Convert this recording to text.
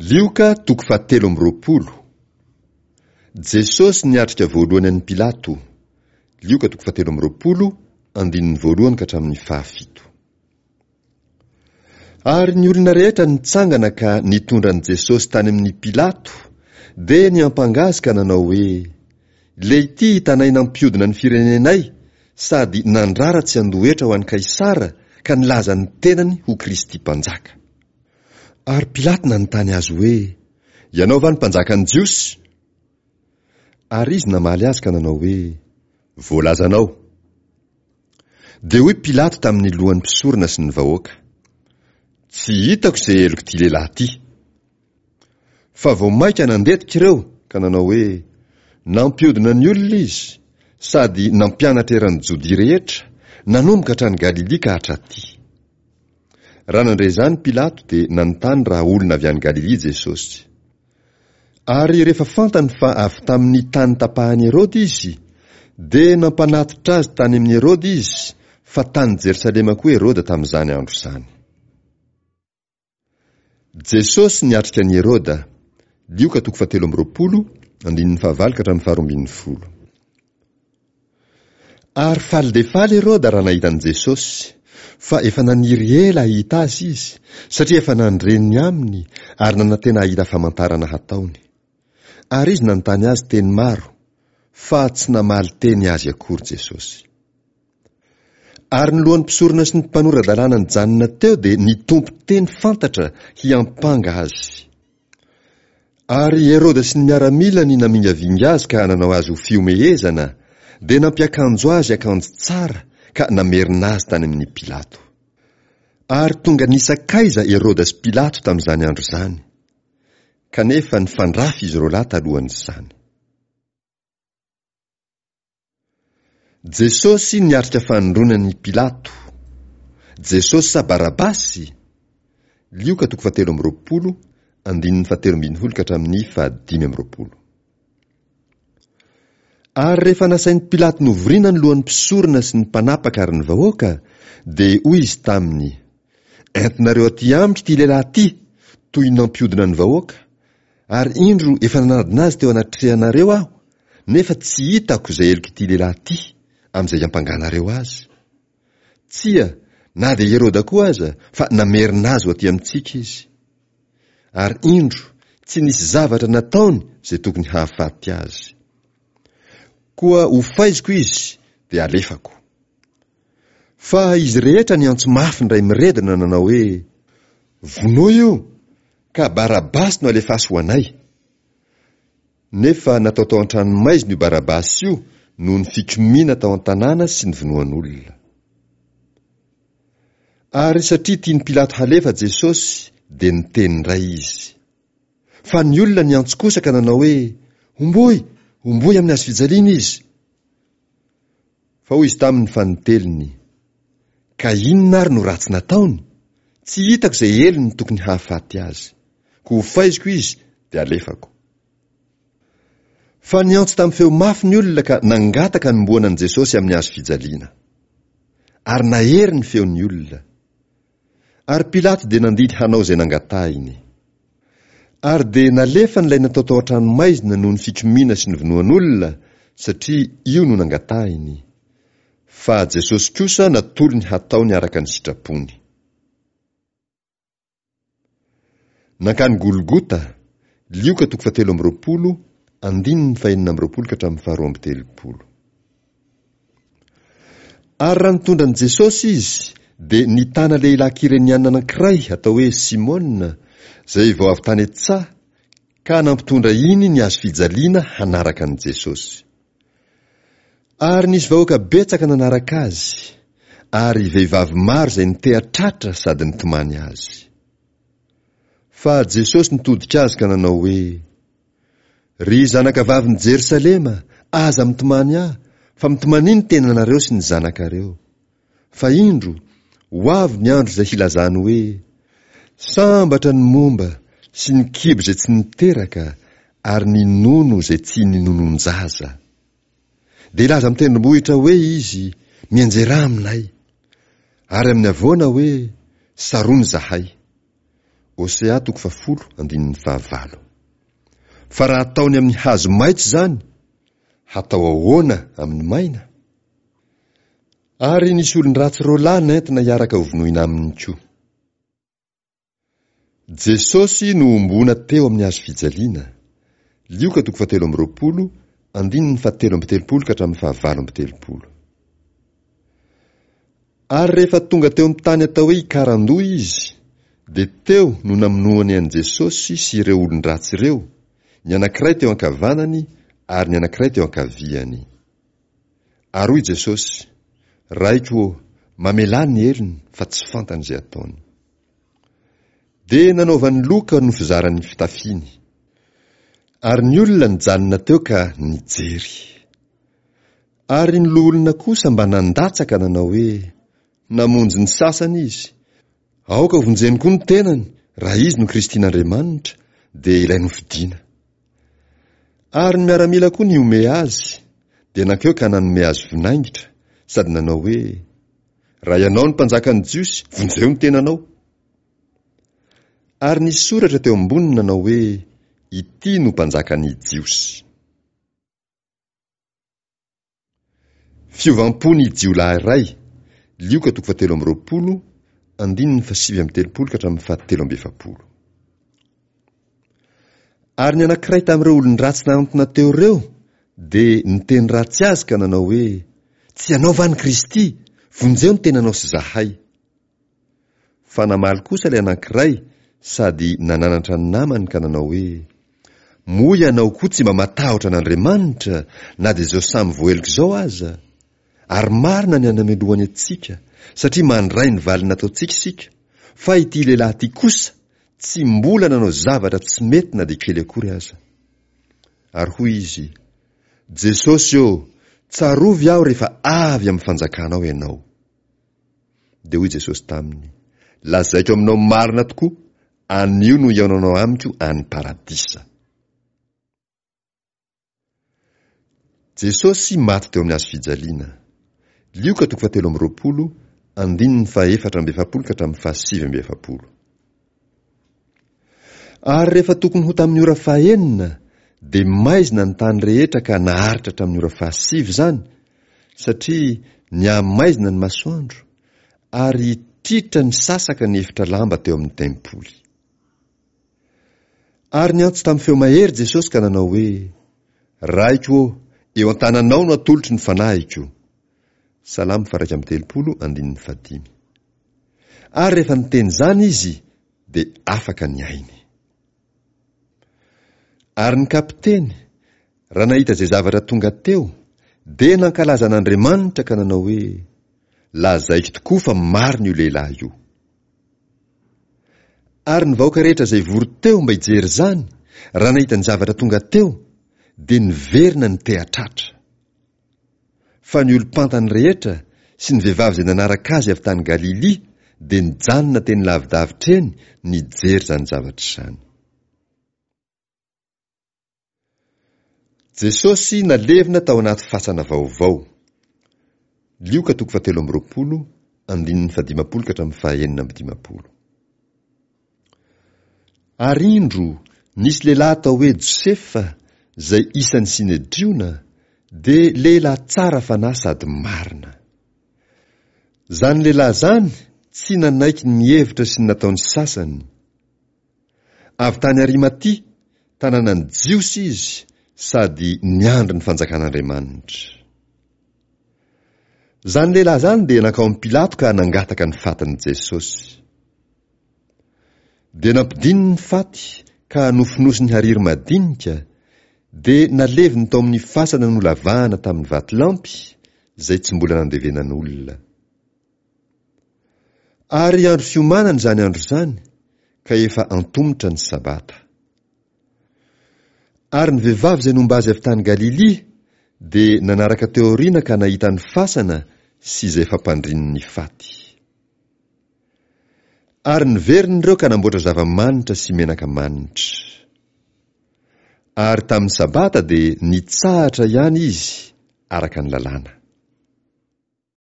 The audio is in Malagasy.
Lioka toko fahatelo amby 20. Jesosy niatrika voalohany an'i Pilato. Lioka toko fahatelo amby 20, andininy voalohany ka hatramin'ny fahafito. Ary ny olona rehetra nitsangana ka nitondra an'i Jesosy tany amin'i Pilato, dia niampanga azy ka nanao hoe, Leity hitanay nampiodina ny firenenay sady nandrara tsy handoa hetra ho an'i Kaisara ka nilaza ny tenany ho Kristy Mpanjaka. Ary Pilato nanontany azy hoe, Ianao va no Mpanjakan'ny Jiosy? Ary izy namaly azy ka nanao hoe, Voalazanao. Dia hoy Pilato tamin'ny lohan'ny mpisorona sy ny vahoaka, Tsy hitako izay helok'ity lehilahy ity. Fa vao mainka nandetika ireo ka nanao hoe, Nampiodina ny olona izy, sady nampianatra eran'i Jodia rehetra, nanomboka hatrany Galilia ka hatraty. Raha nandre izany Pilato dia nanontany raha olona avy any Galilia Jesosy. Ary rehefa fantany fa avy tamin'ny tany tapahan'i Heroda izy, dia nampanatitra azy tany amin'i Heroda izy, fa tany Jerosalema koa Heroda tamin'izany andro izany. Jesosy niatrika an'i Heroda, Lioka toko fahatelo amby 20, andininy fahavalo ka hatramin'ny faharoa ambin'ny folo. Ary faly dia faly Heroda raha nahita an'i Jesosy, fa efa naniry ela hahita azy izy, satria efa nandre ny aminy ary nanantena hahita famantarana hataony. Ary izy nanontany azy teny maro, fa tsy namaly teny azy akory Jesosy. Ary ny lohan'ny mpisorona sy ny mpanora-dalàna nijanona teo dia nitompo teny fantatra hiampanga azy. Ary Heroda sy ny miaramilany namingavinga azy ka nanao azy ho fihomehezana, dia nampiakanjo azy akanjo tsara ka namerina azy tany amin'i Pilato. Ary tonga nisakaiza Heroda sy Pilato tamin'izany andro izany. Kanefa nifandrafy izy roalahy talohan'izany. Jesosy niatrika fanindroany an'i Pilato. Jesosy sa Barabasy? Lioka toko fahatelo amby 20, andininy fahatelo ambin'ny folo ka hatramin'ny fahadimy amby 20. Ary rehefa nasain'i Pilato novorina ny lohan'ny mpisorona sy ny mpanapaka ary ny vahoaka, dia hoy izy taminy, Entinareo aty amiko ity lehilahy ity, toy ny nampiodina ny vahoaka, ary indro efa nanadina azy teo anatrehanareo aho, nefa tsy hitako izay helok'ity lehilahy ity amin'izay iampanganareo azy. Tsia, na dia Heroda koa aza, fa namerina azy ho aty amintsika izy. Ary indro, tsy nisy zavatra nataony izay tokony hahafaty azy. Koa hofaiziko izy, dia alefako. Fa izy rehetra niantso mafy indray miredona nanao hoe, Vonoy io, ka Barabasy no alefaso ho anay. Nefa natao tao an-tranomaizina io Barabasy io noho ny fikomiana tao an-tanàna sy ny vonoan'olona. Ary satria tian'i Pilato halefa Jesosy, dia niteny indray izy. Fa ny olona niantso kosa ka nanao hoe, Homboy! Homboy amin'ny hazofijaliana izy! Fa hoy izy taminy fanintelony, Ka inona ary no ratsy nataony? Tsy hitako izay helony tokony hahafaty azy. Koa hofaiziko izy, dia alefako. Fa niantso tamin'ny feo mafy ny olona ka nangataka hanombohana an'i Jesosy amin'ny hazo fijaliana. Ary nahery ny feon'ny olona. Ary Pilato dia nandidy hanao izay nangatahiny. Ary dia nalefany ilay natao tao an-tranomaizina noho ny fikomiana sy ny vonoan'olona, satria io no nangatahiny. Fa Jesosy kosa natolony hataony araka ny sitrapony. Nankany Golgota, Lioka toko fahatelo amby 20, andininy fahenina amby 20 ka hatramin'ny faharoa amby 30. Ary raha nitondra an'i Jesosy izy, dia nitana lehilahy Kyreniana anankiray atao hoe Simona, izay vao avy tany an-tsaha, ka nampitondra iny ny hazo fijaliana hanaraka an'i Jesosy. Ary nisy vahoaka betsaka nanaraka azy, ary vehivavy maro izay niteha-tratra sady nitomany azy. Fa Jesosy nitodika azy ka nanao hoe, Ry zanakavavin'i Jerosalema, aza mitomany ahy, fa mitomania ny tenanareo sy ny zanakareo. Fa indro, ho avy ny andro izay hilazany hoe, Sambatra ny momba sy ny kibo izay tsy niteraka ary ny nono izay tsy ninonon-jaza. Dia hilaza amin'ny tendrombohitra hoe izy, Mianjerà aminay. Ary amin'ny havoana hoe, Sarony izahay. Hosea toko fahafolo andininy fahavalo. Fa raha ataony amin'ny hazo maitso izany, hatao ahoana amin'ny maina? Ary nisy olon-dratsy roalahy nentina hiaraka hovonoina aminy koa. Jesosy nohomboana teo amin'ny hazo fijaliana. Lioka toko fahatelo amby roapolo, andininy fahatelo amby telopolo ka hatramin'ny fahavalo amby telopolo. Ary rehefa tonga teo amin'ny tany atao hoe Ikarandoha izy, dia teo no namonoany an'i Jesosy sy ireo olon-dratsy ireo, ny anankiray teo ankavanany ary ny anankiray teo ankaviany. Ary hoy Jesosy, Raiko ô, mamelà ny helony fa tsy fantany izay ataony. Dia nanaovany loka no fizarany ny fitafiany. Ary ny olona nijanona teo ka nijery. Ary ny loholona kosa mba nandatsaka nanao hoe, Namonjy ny sasany izy. Aoka hovonjeny koa ny tenany, raha izy no Kristin'Andriamanitra, dia ilay nofidina. Ary ny miaramila koa nihomehy azy, dia nankeo ka nanome azy vinaingitra, sady nanao hoe, Raha ianao no mpanjakan'ny Jiosy, vonjeo ny tenanao. Ary nisy soratra teo amboniny nanao hoe, Ity no mpanjakan'ny Jiosy. Fiovam-po ny jiolahy iray, Lioka toko fahatelo amby roapolo, andininy fahasivy amby telopolo ka hatramin'ny fahatelo amby efapolo. Ary ny anankiray tamin'ireo olon-dratsy nahantona teo ireo dia niteny ratsy azy ka nanao hoe, Tsy ianao va ny Kristy? Vonjeo ny tenanao sy izahay. Fa namaly kosa ilay anankiray sady nananatra ny namany ka nanao hoe, Moa ianao koa tsy mba matahotra an'Andriamanitra na dia izao samy voaheloka izao aza? Ary marina ny anamelohany antsika, satria mandray ny valiny nataontsika isika, fa ity lehilahy ity kosa tsy mbola nanao zavatra tsy mety na dia kely akory aza. Ary hoy izy, Jesosy ô, tsarovy aho rehefa avy amin'ny fanjakanao ianao. Dia hoy Jesosy taminy, Lazaiko aminao marina tokoa, anio no hihaonanao amiko any Paradisa. Jesosy maty teo amin'ny hazo fijaliana. Lioka toko fahatelo amby roapolo, andininy fahaefatra amby efapolo ka hatramin'ny fahasivy amby efapolo. Ary rehefa tokony ho tamin'ny ora fahenina, dia maizina ny tany rehetra ka naharitra hatramin'ny ora fahasivy izany, satria nihamaizina ny masoandro, ary tritra nisasaka ny efitra lamba teo amin'ny tempoly. Ary niantso tamin'ny feo mahery Jesosy ka nanao hoe, Raiko ô, eo an-tananao no atolotro ny fanahiko. Salamo faha-31 andininy fahadimy. Ary rehefa niteny izany izy, dia afaka ny ainy. Ary ny kapiteny, raha nahita izay zavatra tonga teo, dia nankalaza an'Andriamanitra ka nanao hoe, Lazaiko tokoa fa marina io lehilahy io. Ary ny vahoaka rehetra izay vory teo mba hijery izany, raha nahita ny zavatra tonga teo, dia niverina niteha-tratra. Fa ny olom-pantany rehetra sy ny vehivavy izay nanaraka azy avy tany Galilia dia nijanona teny lavidavitra eny nijery izany zavatra izany. Jesosy nalevina tao anaty fasana vaovao. Lioka toko fahatelo amby roapolo, andininy fahadimampolo ka hatramin'ny fahaenina amby dimampolo. Ary indro, nisy lehilahy atao hoe Josefa, izay isan'ny Synedriona, dia lehilahy tsara fanahy sady marina. Izany lehilahy izany tsy nanaiky ny hevitra sy ny nataon'ny sasany. Avy tany Arimatia, tanànan'ny Jiosy izy sady niandry ny fanjakan'Andriamanitra. Izany lehilahy izany dia nankao amin'i Pilato ka nangataka ny fatin'i Jesosy. Dia nampidininy ny faty ka nofonosiny hariry madinika, dia naleviny tao amin'ny fasana nolavahana tamin'ny vatolampy, izay tsy mbola nandevenan'olona. Ary andro fiomanana izany andro izany, ka efa antomotra ny Sabata. Ary ny vehivavy izay nomba azy avy tany Galilia dia nanaraka teo aoriana ka nahita ny fasana sy izay fampandriny ny faty. Ary niverina ireo ka namboatra zava-manitra sy menaka manitra. Ary tamin'ny Sabata dia nitsahatra ihany izy araka ny lalàna.